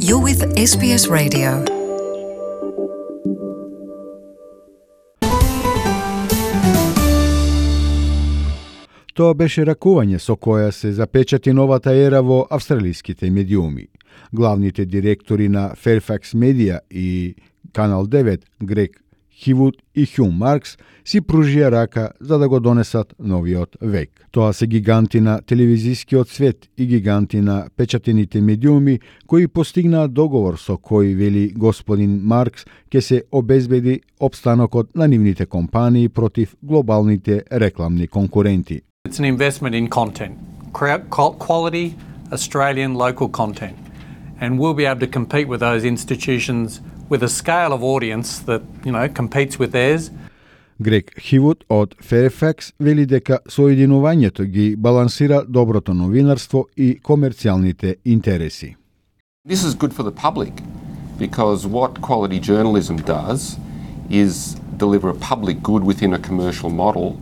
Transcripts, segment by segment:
You're with SBS Radio. Тоа беше ракување со која се запечати новата ера во австралиските медиуми. Главните директори на Fairfax Media и Канал 9, Грег Хивуд и Хјун Маркс, си пружија рака за да го донесат новиот век. Тоа се гиганти на телевизискиот свет и гиганти на печатените медиуми кои постигнаат договор со кој, вели господин Маркс, ќе се обезбеди опстанокот на нивните компании против глобалните рекламни конкуренти. It's an investment in content, quality Australian local content, and we'll be able to compete with those institutions with a scale of audience that, competes with theirs. Грег Хивуд од Fairfax вели дека соединувањето ги балансира доброто новинарство и комерцијалните интереси. This is good for the public because what quality journalism does is deliver a public good within a commercial model.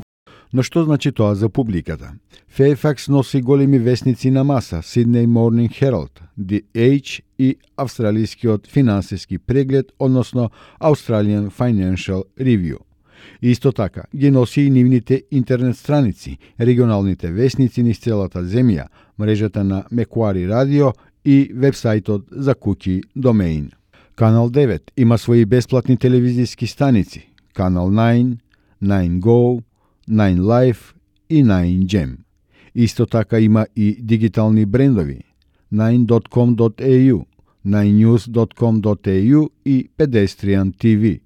Но што значи тоа за публиката? Fairfax носи големи весници на маса, Sydney Morning Herald, The Age и австралискиот финансиски преглед, односно Australian Financial Review. Исто така ги носи и нивните интернет страници, регионалните весници низ целата земја, мрежата на Macquarie Radio и вебсајтот за куќи Domain. Канал 9 има своји бесплатни телевизиски станици, Канал 9, 9 Go, 9 Life и 9 Gem. Исто така има и дигитални брендови 9.com.au, 9news.com.au и Pedestrian TV.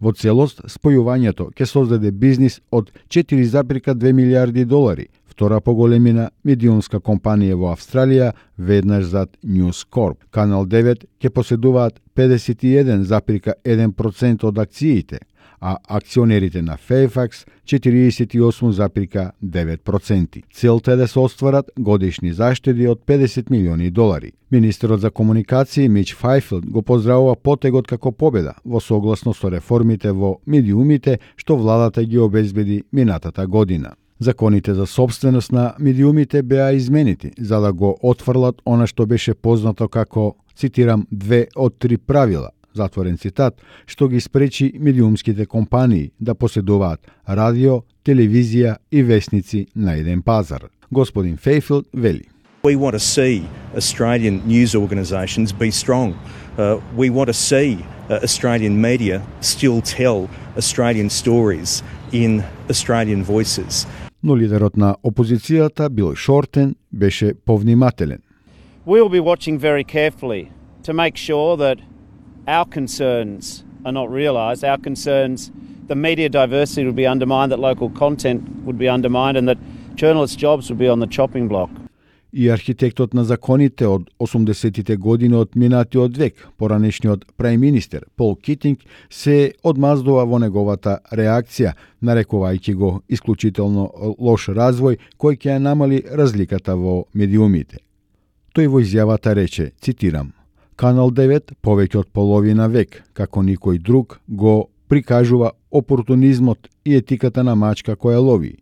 Во целост, спојувањето ќе создаде бизнис од 4,2 милиарди долари, втора поголемина медиумска компанија во Австралија, веднаш зад News Corp. Канал 9 ќе поседуваат 51,1% од акциите, а акционерите на Fairfax 48,9%. Целта е да се остварат годишни заштеди од 50 милиони долари. Министерот за комуникации Мич Фајфилд го поздравува потегот како победа во согласно со реформите во медиумите што владата ги обезбеди минатата година. Законите за собственост на медиумите беа изменити за да го отфрлат она што беше познато како, цитирам, 2 од 3 правила, затворен цитат, што ги спречи медиумските компании да поседуваат радио, телевизија и весници на еден пазар. Господин Фейфилд вели: We want to see Australian news organisations be strong. We want to see Australian media still tell Australian stories in Australian voices. Но лидерот на опозицијата Бил Шортен беше повнимателен. We will be watching very carefully to make sure that our concerns are not realised. Our concerns, the media diversity would be undermined, that local content would be undermined and that journalists' jobs would be on the chopping block. И архитектот на законите од 80-тите години од минатиот век, поранешниот прајм-министер Пол Китинг, се одмаздува во неговата реакција, нарекувајќи го исклучително лош развој кој ќе ја намали разликата во медиумите. Тој во изјавата рече, цитирам: Канал 9 повеќе од половина век, како никој друг, го прикажува опортунизмот и етиката на мачка која лови.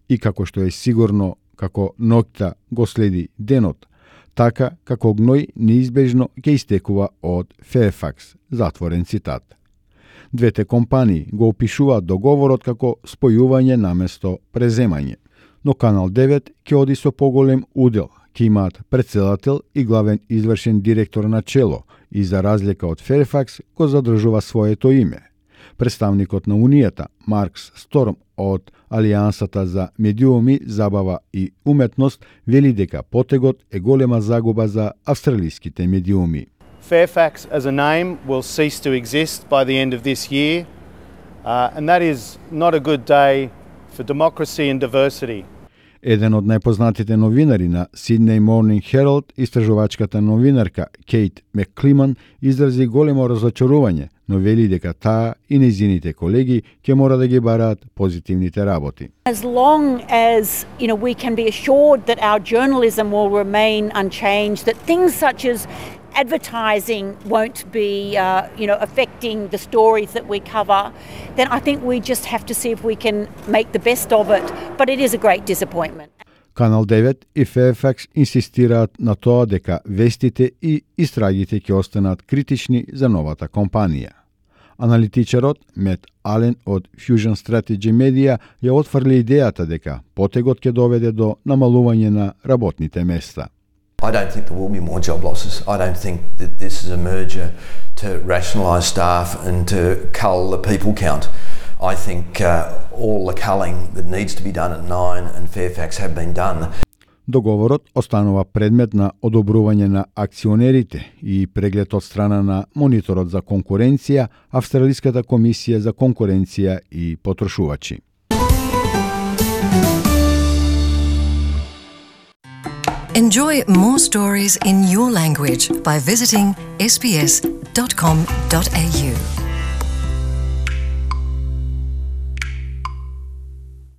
И како што е сигурно како ноќта го следи денот, така како гној неизбежно ќе истекува од Fairfax, затворен цитат. Двете компании го опишуваат договорот како спојување наместо преземање, но Канал 9 ќе оди со поголем удел, ќе имаат претседател и главен извршен директор на чело и за разлика од Fairfax го задржува своето име. Представникот на Унијата, Маркс Сторм од Алијансата за медиуми, забава и уметност, вели дека потегот е голема загуба за австралиските медиуми. Fairfax as a name will cease to exist by the end of this year, and that is not a good day for democracy and diversity. Еден од најпознатите новинари на Sydney Morning Herald, истражувачката новинарка Кейт Мекклиман, изрази големо разочарување, но вели дека таа и нејзините колеги ќе мора да ги бараат позитивните работи. As long as, we can be assured that our journalism will remain unchanged, that things such as advertising won't be, affecting the stories that we cover, then I think we just have to see if we can make the best of it. But it is a great disappointment. Канал 9 и Fairfax инсистираат на тоа дека вестите и истрагите ќе останат критични за новата компанија. Аналитичарот Мет Ален од Fusion Strategy Media ја отфрли идејата дека потегот ќе доведе до намалување на работните места. I don't think there will be more job losses. I don't think that this is a merger to rationalise staff and to cull the people count. I think all the culling that needs to be done at Nine and Fairfax have been done. Договорот останува предмет на одобрување на акционерите и преглед од страна на мониторот за конкуренција, Австралиската комисија за конкуренција и потрошувачи. Enjoy more stories in your language by visiting sbs.com.au.